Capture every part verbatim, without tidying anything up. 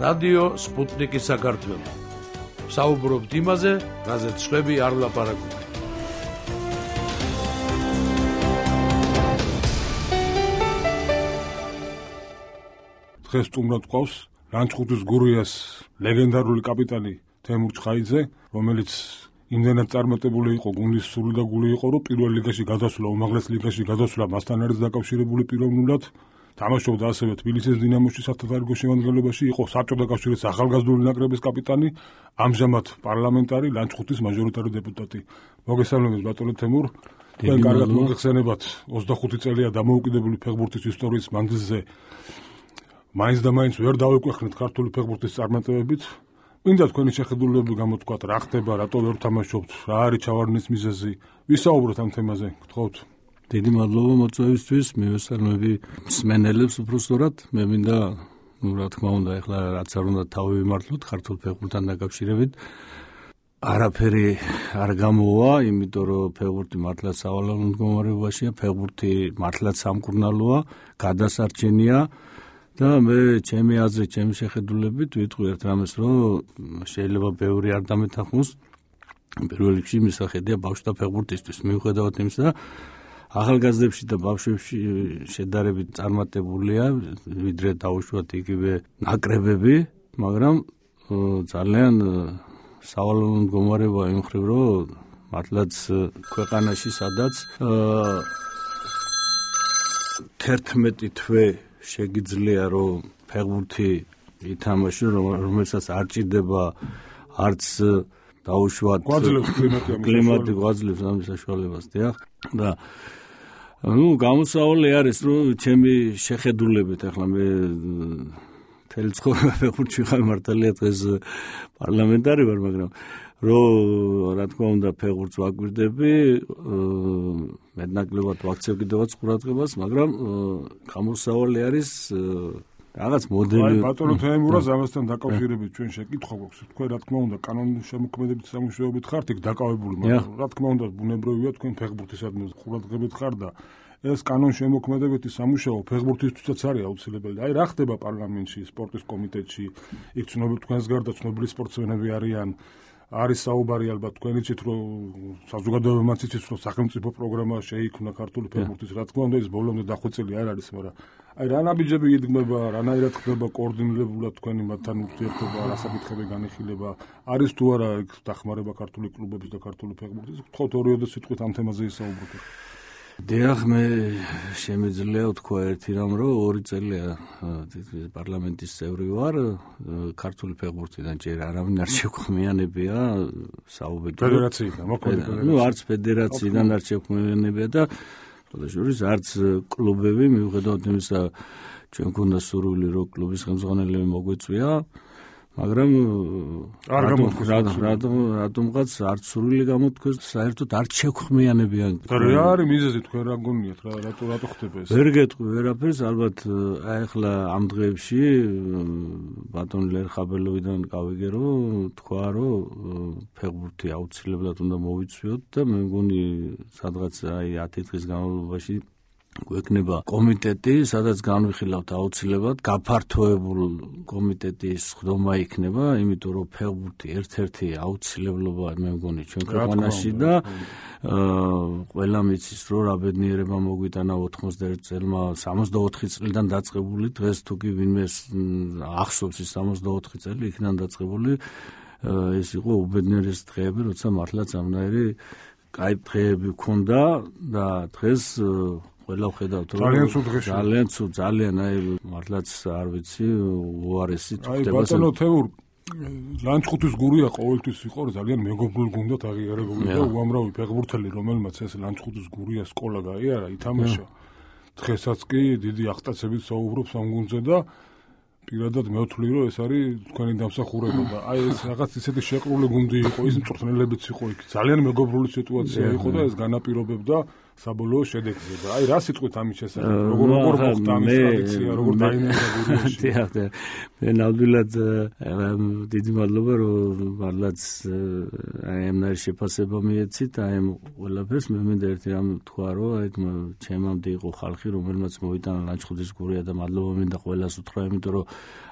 რადიო სპუტნიკის საქართველო. საუბრობთ იმაზე, რაზეც სხვები არ ლაპარაკობენ. დღეს სტუმრად გვყავს ლანჩხუთის გურიას ლეგენდარული კაპიტანი თემურ ჩხაიძე, რომელიც იმდენად წარმატებული იყო, გუნდის სული და გული იყო, რომ პირველ ლიგაში გადასვლა, უმაღლეს ლიგაში გადასვლა მასთან არის დაკავშირებული პიროვნულად. თამაშობდა ასევე თბილისის დინამოში სათათარიგო შემადგენლობაში, იყო საბჭოთა კავშირის ახალგაზრდული ნაკრების კაპიტანი, ამჟამად პარლამენტარი, ლანჩხუთის მაჟორიტარი დეპუტატი. მოგესალმებით ბატონო თემურ. თქვენ კარგად მოგეხსენებათ ოცდახუთი წელია დამოუკიდებელი ფეხბურთის ისტორიის მანძილზე. მაინც და მაინც ვერ დავეკვეხნით ქართული ფეხბურთის წარმატებებით. მინდა თქვენი შეხედულებები გამოთქვათ, რა ხდება, რატო ვერ თამაშობთ, რა არის ჩავარდნის მიზეზი. ვისაუბროთ ამ თემაზე, გთხოვთ. დიდი მადლობა მოწვევისთვის, მივესალმები მსმენელებს უბრალოდ. მე მინდა, ну, რა თქმა უნდა, ეხლა რაც არ უნდა თავი ვიმართლოთ ქართულ ფეხბურთთან დაკავშირებით. არაფერი არ გამოვა, იმიტომ რომ ფეხბურთი მართლაც სავალალო მდგომარეობაშია, ფეხბურთი მართლაც სამკურნალოა, გადასარჩენია. და მე ჩემი აზრით, ჩემი შეხედულებით ვიტყვი ერთ რამეს, რომ შეიძლება ბევრი არ დამეთანხმოს. პირველ რიგში მისახედია ბავშვთა ფეხბურთისთვის, მიუხედავად იმისა, ახალგაზრდებში და ბავშვებში შედარებით წარმატებულია, ვიდრე დაუშვათ იგივე ნაკრებები, მაგრამ ძალიან სავალალო მდგომარეობა იმ მხრივ, რომ მართლაც ქვეყანაში სადაც თერთმეტი თვე შეგიძლია რომ ფეხბურთი ითამაშო, რომელსაც არ ჭირდება არც დაუშვათ კლიმატი გვაძლევს ამის საშუალებას, დიახ. და ну, გამოსავალი არის, რომ ჩემი შეხედულებით, ახლა მე მთელი ცხოვრება ფეხბურთში ხარ, მართალია დღეს პარლამენტარი ვარ, მაგრამ რომ რა თქმა უნდა ფეხბურთს ვაკვირდები, მეტნაკლებად ვაქცევ კიდევაც ყურადღებას, მაგრამ გამოსავალი არის რაღაც მოდელი. აი ბატონო თემურას ამასთან დაკავშირებით ჩვენ შეკითხვა გვაქვს. თქვენ რა თქმა უნდა კანონის შემოქმედებით სამუშაოებით ხართ, იქ დაკავებული, მაგრამ რა თქმა უნდა ბუნებრივია თქვენ ფეხბურთისადმი ყურადღებით ხარ და ეს კანონის შემოქმედებითი სამუშაო ფეხბურთისთვისაც არის აუცილებელი. აი რა ხდება პარლამენტში, სპორტის კომიტეტში, იქ ცნობილი თქვენს გარდა ცნობილი სპორტსმენები არიან. არის საუბარი ალბათ თქვენიც იცით, რომ საზოგადოებამაც იცით, რომ სახელმწიფო პროგრამა შეიქმნა ქართული ფეხბურთის. რა თქმა უნდა ის ბოლომდე დახვეწილი არ არის, მაგრამ აი რა ნაბიჯები იდგმება, რანაირად ხდება კოორდინირებულად თქვენი მათთან ურთიერთობა, რა საკითხები განიხილება, არის თუ არა იქ დახმარება ქართული კლუბების და ქართული ფეხბურთის. გთხოვთ ორიოდე სიტყვით ამ თემაზე ისაუბროთ. დიახ, მე შემიძლია ვთქვა ერთი რამ, რომ ორი წელია პარლამენტის წევრი ვარ, ქართული ფეხბურთიდან ჯერ არავინ არ შეგვხმიანებია საუბედური ფედერაციიდან, მოქმედი ფედერაცია. ну, არც ფედერაციიდან არ შეგვხმიანებია და შესაძლოა არც კლუბები, მიუხედავად იმისა, ჩვენ გვქონდა სურვილი, რომ კლუბის ხელმძღვანელები მოგვეწვია, მაგრამ არ გამოთქვეს რატომღაც არც სურვილი გამოთქვეს, საერთოდ არ შეგვხმიანებიან. რა არის მიზეზი თქვენ რა გონიათ, რა რატო რატო ხდება ეს? ვერ გეტყვი ვერაფერს, ალბათ აი ახლა ამ დღეებში ბატონ ლერხაბელოვიდან გავიგე, რომ თქვა, რომ ფეხბურთი აუცილებლად უნდა მოვიცვიოთ და მე მგონი სადღაც აი ათი დღის განმავლობაში გვექნება კომიტეტი, სადაც განვიხილავთ აუცილებლად გაფართოებულ კომიტეტის ხდომა იქნება, იმიტომ რომ ფეხბურთი ერთ-ერთი აუცილებლობაა მე მგონი ჩვენ ქვეყანაში და ყველა მიცის, რომ რა ბედნიერება მოგვიტანა ოთხმოცდაერთი წელმა სამოცდაოთხი წლიდან დაწყებული, დღეს თუ კი ვინმე ახსოვს ის სამოცდაოთხი წელი იქიდან დაწყებული, ეს იყო უბედნიერესი დღეები, როცა მართლაც ამნაირი კაი დღეები გქონდა და დღეს ყველა ხედავთ რომ ძალიან ცუდ დღეში ძალიან ცუდ ძალიან აი მართლაც არ ვიცი უარესი ხდება. აი ბატონო თემურ, ლანჩხუთის გურია ყოველთვის იყო ძალიან მეგობრულ გუნდად აღიარებული და უამრავი ფეხბურთელი, რომელმაც ეს ლანჩხუთის გურია სკოლა გაიარა, ითამაშა. დღესაც კი დიდი აღტაცებით საუბრობს ამ გუნდზე და პირადად მე ვთვლი, რომ ეს არის თქვენი დამსახურება და აი ეს რაღაც ისეთი შეყრული გუნდი იყო, ის მწვრთნელებიც იყო იქ. ძალიან მეგობრული სიტუაცია იყო და ეს განაპირობებდა საბოლოო შედეგზე და აი რა სიტყვით ამის შესახებ როგორ როგორ მოხდა ამის ტრადიცია როგორ დაინერგა გურიაში დიახ მე ნამდვილად დიდი მადლობა რომ მართლაც აი ამ ნაირ შეფასება მიეცით აი ამ ყველაფერს მე მინდა ერთი რამ თქვა რომ აი ჩემამდე იყო ხალხი რომელმაც მოიტანა ლანჩხუთის გურია და მადლობა მინდა ყველას უთხრა იმიტომ რომ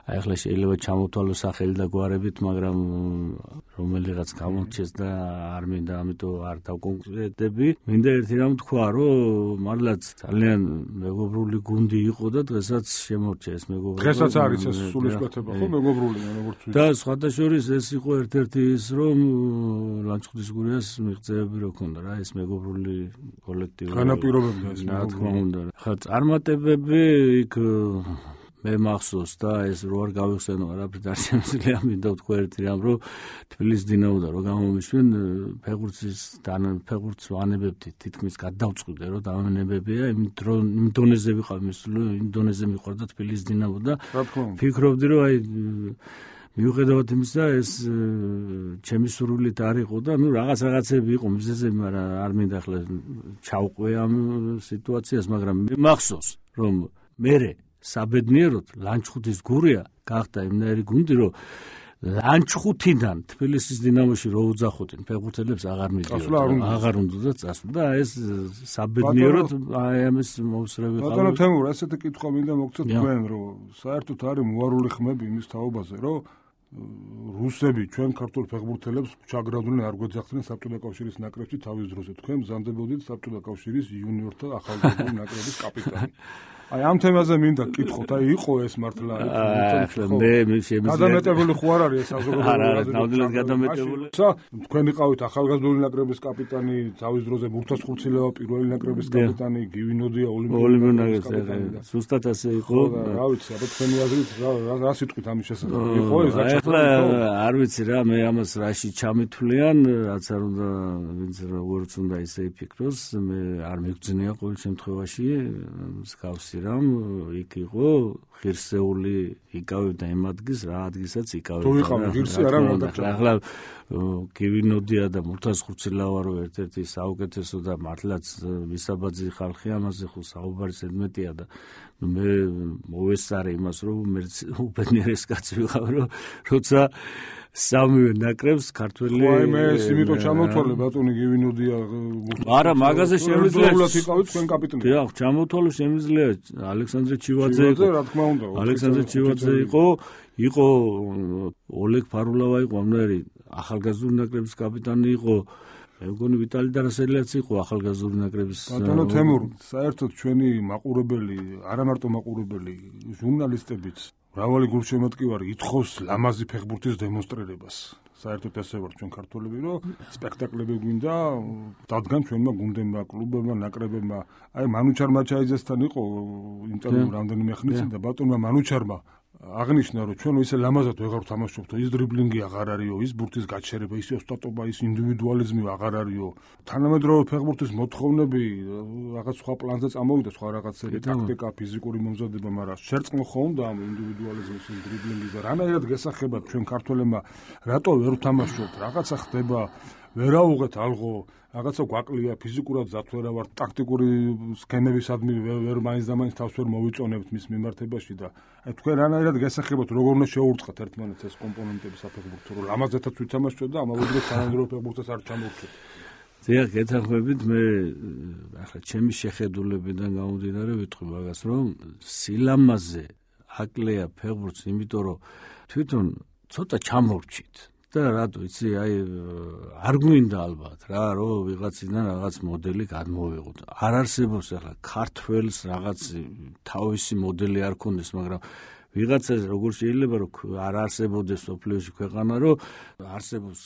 აი ახლა შეიძლება ჩამოთვალო სახელი და გვარებით მაგრამ რომელიღაც გამორჩეს და არ მინდა ამიტომ არ დავკონკრეტები მინდა ერთი რამ თქვა რომ მართლაც ძალიან მეგობრული გუნდი იყო და დღესაც შემორჩა ეს მეგობრობა დღესაც არის ეს სულისკვეთება ხო მეგობრული როგორც ვიცი და სხვათა შორის ეს იყო ერთ-ერთი ის რომ ლანჩხუთის გურიას მიღწევები რო ქონდა რა ეს მეგობრული კოლექტივი განაპირობებდა ეს რა თქმა უნდა ხა წარმატებები იქ მე მახსოვს და ეს რო არ გავიხსენო არაფრით არ შემიძლია მინდა ვთქვა ერთი რამ რომ თბილისის დინამოდან რო გამომიშვენ ფეხბურთის ფეხბურთს ვანებებდით თითქმის გადავწყვიტე რომ დავანებებია იმ იმ დონეზე ვიყავ იმ დონეზე მიყვარდა თბილისის დინამო და ფიქრობდი რომ აი მიუხედავად იმისა ეს ჩემი სურვილით არ იყო და ნუ რაღაც რაღაცები იყო მიზეზები მაგრამ არ მინდა ახლა ჩავყვე ამ სიტუაციას მაგრამ მე მახსოვს რომ მე საბედნიეროდ ლანჩხუთის გურია გახდა იმნაირი გუნდი რომ ლანჩხუთიდან თბილისის დინამოში რო უძახოდნენ ფეხბურთელებს აღარ მიდიოდა აღარ უნდა წასვლა და ეს საბედნიეროდ აი ამის მოусრევი ყავდა ბატონო თემურ ასეთი კითხვა მინდა მოგცეთ თქვენ რომ საერთოდ არის მოარული ხმები იმის თაობაზე რომ რუსები ჩვენ ქართულ ფეხბურთელებს ჩაგროვდნენ არ გვეძახდნენ საბჭოთა კავშირის ნაკრებში თავის დროზე თქვენ მზადდებოდით საბჭოთა კავშირის იუნიორთა ახალგაზრდული ნაკრების კაპიტანი აი ამ თემაზე მინდა გკითხოთ, აი იყო ეს მართლა მე მე შემიძლია გადამეტებული ხო არ არის ეს საზოგადოება არა არა ნამდვილად გადამეტებული თქვენ იყავით ახალგაზრდული ნაკრების კაპიტანი თავის დროზე მურთასხურცილევა პირველი ნაკრების კაპიტანი გივინოდია ოლიმპიური ნაკრების კაპიტანი ზუსტად ასე იყო რა ვიცი აბა თქვენი აზრით რა სიტყვით ამის შესახებ იყო ეს ახლა არ ვიცი რა მე ამას რაში ჩამithვლიან რაც არ უნდა ვინც როგორც უნდა ისე იფიქროს მე არ მიგძნია ყოველ შემთხვევაში მსგავსი რამ იქ იყო ღირსეული იკავებდა იმ ადგილს რა ადგილსაც იკავებდა თუ იყავ ღირსი არა მოდახლა ახლა გივინოდია და მურთასხურცილავა რო ერთ-ერთი საუკეთესო და მართლაც მისაბაძი ხალხი ამაზე ხო საუბარი ზედმეტია და მე მოვესწარე იმას რომ მე უბედნიერეს კაცი ვიყავ რომ როცა სამივე ნაკრებს ქართველი ხო მე სიმიტო ჩამოთვალე ბატონი გივინოდია არა მაგაზე შემიძლია უბრალოდ იყავით თქვენ კაპიტანი დიახ ჩამოთვალე შემიძლია ალექსანდრე ჩივაძე იყო რა თქმა უნდა ალექსანდრე ჩივაძე იყო იყო ოლეგ ფარულავა იყო ამნაირი ახალგაზრდული ნაკრების კაპიტანი იყო მე მგონი ვიტალი დარასელიც იყო ახალგაზრდული ნაკრების ბატონო თემურ საერთოდ ჩვენი მაყურებელი არა მარტო მაყურებელი ჟურნალისტებიც მრავალი გულშემატკივარი ითხოვს ლამაზი ფეხბურთის დემონსტრირებას საერთოდ ესე ვარ ჩვენ ქართველები რომ სპექტაკლები გვინდა დადგან ჩვენმა გუნდებმა კლუბებმა ნაკრებებმა აი მანუჩარ მაჩაიძესთან იყო ინტერვიუ რამდენიმე ხნის წინ და ბატონმა მანუჩარმა აღნიშნა რომ ჩვენ ისე ლამაზად ვეღარ ვთამაშობთ ის დრიბლინგი აღარ არისო ის ბურთის გაჩერება ის ოსტატობა ის ინდივიდუალიზმი აღარ არისო თანამედროვე ფეხბურთის მოთხოვნები რაღაც სხვა პლანზე წამოვიდა სხვა რაღაცები ტაქტიკა ფიზიკური მომზადება მაგრამ შერწყმო ხო უნდა ამ ინდივიდუალიზმის ის დრიბლინგის და რანაირად გესახებათ ჩვენ ქართველებმა რატო ვერ ვთამაშობთ რაღაცა ხდება ვერაუღეთ ალღო რაღაცა გვაკლია ფიზიკურად ზათ ვერა ვარ ტაქტიკური სქემებისადმი ვერ მაინც და მაინც თავს ვერ მოვიწონებთ მის მიმართებაში და აი თქვენ რანაირად გასახებოთ როგორ უნდა შეურწყათ ერთმანეთს ეს კომპონენტები საფეხბურთო რომ ლამაზეთაც ვითამაშოთ და ამავდროულად თანამედროვე ფეხბურთს არ ჩამოვხდეთ დიახ გეთანხმებით მე ახლა ჩემი შეხედულებიდან გამომდინარე ვიტყვი მაგას რომ სილამაზე აკლია ფეხბურთს იმიტომ რომ თვითონ ცოტა ჩამორჩით და რატო იცი აი არ გვინდა ალბათ რა რომ ვიღაციდან რაღაც მოდელი გადმოვიღოთ არ არსებობს ახლა ქართველს რაღაც თავისი მოდელი არ ქონდეს მაგრამ ვიღაცას როგორ შეიძლება რომ არ არსებობდეს სოფლიოში ქვეყანა რომ არსებობს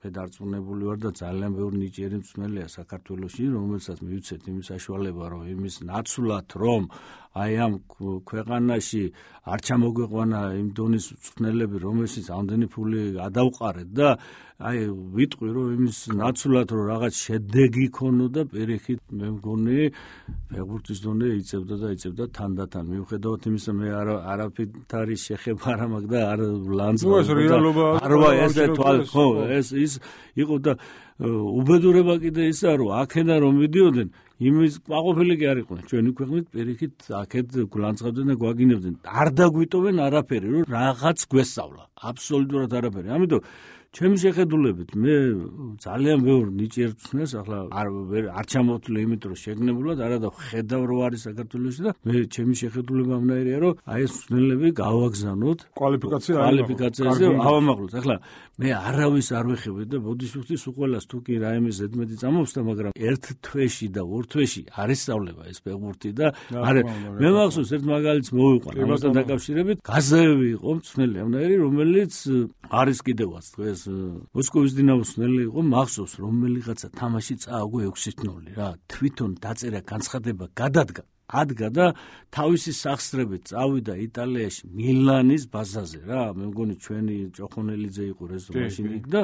მე დარწმუნებული ვარ და ძალიან ბევრი ნიჭიერი მსმელია საქართველოში რომელსაც მივიცეთ იმის საშუალება რომ იმის ნაცვლად რომ აი ამ ქვეყანაში არ ჩამოგვეყვანა იმ დონის მწვრთნელები რომელშიც ამდენი ფული გადავყარეთ და აი ვიტყვი რომ იმის ნაცვლად რომ რაღაც შედეგი ქონოდა პირიქით მე მგონი ფეხბურთის დონე იწევდა და იწევდა თანდათან მიუხედავად იმისა მე არ არაფრით არის შეხება არა მაგ და არ ლანძღვა ეს რეალობა არა ესე თვალ ხო ეს ის იყო და უბედურება კიდე ისაა რომ აქედან რომ მიდიოდნენ იმის ყოფილი კი არ იყვნენ ჩვენი ქვეყნით პირიქით აქეთ გულანძღავდნენ და გვაგინებდნენ არ დაგვიტოვენ არაფერი რომ რაღაც გვესწავლა აბსოლუტურად არაფერი ამიტომ ჩემი შეხედულებით მე ძალიან ბევრ ნიჭიერს ვცნეს ახლა არ არ ჩამოვთვლე იმიტომ რომ შეგნებულად არადა ხედავ რო არის საქართველოში და მე ჩემი შეხედულება ამნაირია რომ აი ეს მცნელები გავაგზავნოთ კვალიფიკაცია კვალიფიკაციაზე ავამაღლოთ ახლა მე არავის არ ვეხები და ბოდიშუხტის უყოლას თუ კი რაიმე ზედმეტი წამოვსდა მაგრამ ერთ თვეში და ორ თვეში არ ისწავლება ეს ფეხბურთი და არა მე მახსოვს ერთ მაგალითს მოვიყვან ამასთან დაკავშირებით გაზაევი იყო მცნელი ამნაირი რომელიც არის კიდევაც დღეს მოსკოვის დინამოს მცნელი იყო მახსოვს რომელიღაცა თამაში წააგო ექვსი ნული რა თვითონ დაწერა განცხადება გადადგა ადგა და თავისი სახსრებით წავიდა იტალიაში მილანის ბაზაზე რა მე მგონი ჩვენი ჭოხონელიძე იყო რეზო მაშინ იქ და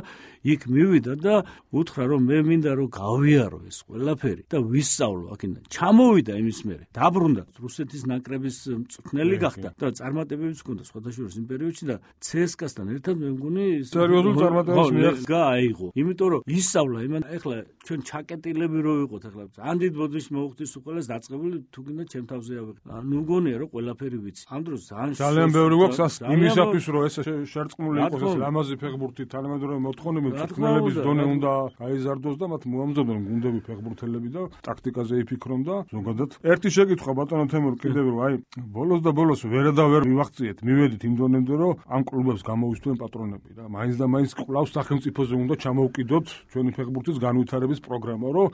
იქ მივიდა და უთხრა რომ მე მინდა რომ გავიარო ეს ყველაფერი და ვისწავლო აქედან ჩამოვიდა იმის მერე დაბრუნდა რუსეთის ნაკრების მწვრთნელი გახდა და წარმატებებიც ჰქონდა სხვადასხვა იმ პერიოდში და ცსკა-სთან ერთად მე მგონი სერიოზულ წარმატებებს მიაღწია აიღო იმიტომ რომ ისწავლა იმან ეხლა ჩვენ ჩაკეტილები რო ვიყოთ ეხლა ანდიდ ბოდიში მოხდის უყოლას დაწყებული თუ და ჩემ თავზე ავიღე. ნუ გონია რომ ყველაფერი ვიცი. ამ დროს ძალიან ბევრი გვაქვს იმისათვის რომ ეს შერწყმული იყოს ეს ლამაზი ფეხბურთი თანამედროვე მოთხოვნები მწვრთნელების დონე უნდა გაიზარდოს და მათ მოამზადებენ გუნდები ფეხბურთელები და ტაქტიკაზე იფიქრონ და ზოგადად ერთი შეკითხვა ბატონო თემურ კიდევ რომ აი ბოლოს და ბოლოს ვერ და ვერ მივახციეთ მივედით იმ დონემდე რომ ამ კლუბებს გამოვისწვენ პატრონები რა მაინც და მაინც კლავს სახელმწიფოზე უნდა ჩამოვკიდოთ ჩვენი ფეხბურთის განვითარების პროგრამა რომ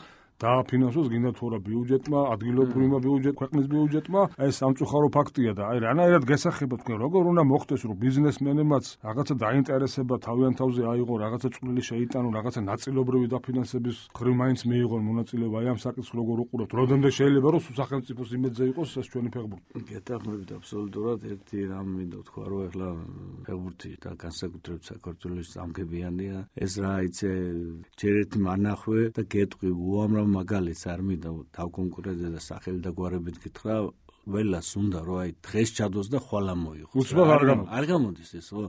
დააფინანსოს გინდა თუ რა ბიუჯეტმა, ადგილობრივმა ბიუჯეტ, ქვეყნის ბიუჯეტმა, ეს სამწუხარო ფაქტია და აი რანაირად გასახება თქვენ როგორ უნდა მოხდეს რომ ბიზნესმენებმაც რაღაცა დაინტერესება თავიანთ თავზე აიღო, რაღაცა წვლილი შეიტანონ, რაღაცა ნაწილობრივი დაფინანსების ხრი მაინც მიიღონ მონაწილეობა აი ამ საკითხს როგორ უყურებთ, როდემდე შეიძლება რომ სახელმწიფოს იმედზე იყოს ეს ჩვენი ფეხბურთი. გეტახმებით აბსოლუტურად ერთი რამ მინდა თქვა რომ ეხლა ფეხბურთი და განსაკუთრებით საქართველოს სამგებიანია, ეს რა იცი ჯერ ერთი მანახვე და გეტყვი უამრავ მაგალითს არ მინდა დავკონკრეტე და სახელი და გვარებით გითხრა ველას უნდა რომ აი დღეს ჩადოს და ხვალ ამოიღოს უცბად არ გამოდის არ გამოდის ეს ხო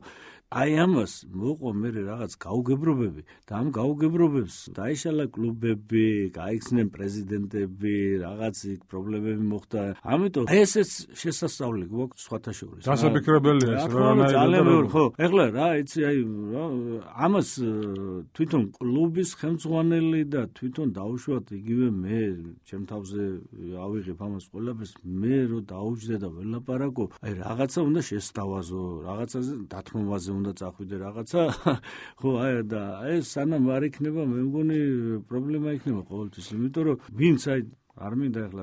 აი ამას მოყვა მე რაღაც გაუგებრობები და ამ გაუგებრობებს დაიშალა კლუბები, გაიხსნენ პრეზიდენტები, რაღაც იქ პრობლემები მოხდა. ამიტომ აი ესეც შესასწავლი გვაქვს სხვათა შორის. დასაფიქრებელია ეს რა ძალიან ბევრი ხო. ეხლა რა იცი აი ამას თვითონ კლუბის ხელმძღვანელი და თვითონ დაუშვათ იგივე მე ჩემ თავზე ავიღებ ამას ყველაფერს მე რო დაუჯდე და ველაპარაკო აი რაღაცა უნდა შესთავაზო, რაღაცაზე დათმობაზე უნდა წახვიდე რაღაცა ხო აი და აი სანამ არ იქნება მე მგონი პრობლემა იქნება ყოველთვის იმიტომ რომ ვინც აი არ მინდა ახლა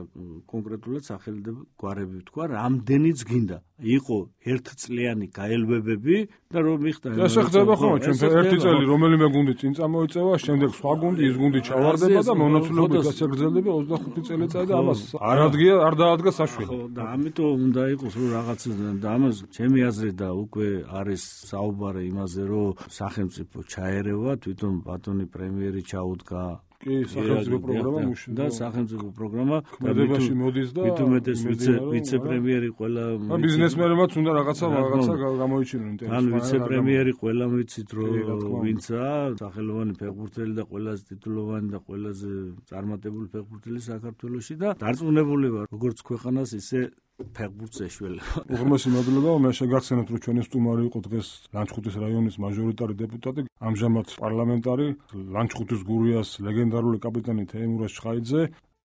კონკრეტულად სახელი და გვარები ვთქვა რამდენიც გინდა იყო ერთწლიანი გაელვებები და რომ მიხდა ეს ხდება ხო ჩვენ ერთი წელი რომელიმე გუნდი წინ წამოიწევა შემდეგ სხვა გუნდი ის გუნდი ჩავარდება და მონაცვლეობით გასაგრძელდება ოცდახუთი წელიწადი და ამას არ ადგია არ დაადგა საშველი ხო და ამიტომ უნდა იყოს რომ რაღაც და ამას ჩემი აზრით და უკვე არის საუბარი იმაზე რომ სახელმწიფო ჩაერევა თვითონ ბატონი პრემიერი ჩაუდგა კი სახელმწიფო პროგრამა მუშაობს და სახელმწიფო პროგრამა ქმედებაში მოდის და მithumetes ვიცე ვიცე-პრემიერი ყველა ბიზნესმენებმაც უნდა რაღაცა რაღაცა გამოიჩინონ ინტერესს ან ვიცე-პრემიერი ყველა ვიცით რომ ვინცაა სახელოვანი ფეხბურთელი და ყველაზე ტიტულოვანი და ყველაზე წარმატებული ფეხბურთელი საქართველოში და დარწმუნებული ვარ როგორც ქვეყანას ისე ფეხბურთს ეშველება. უღრმესი მადლობა, მე შეგახსენებთ რომ ჩვენი სტუმარი იყო დღეს ლანჩხუთის რაიონის მაჟორიტარი დეპუტატი, ამჟამად პარლამენტარი ლანჩხუთის გურიას ლეგენდარული კაპიტანი თეიმურაზ ჩხაიძე.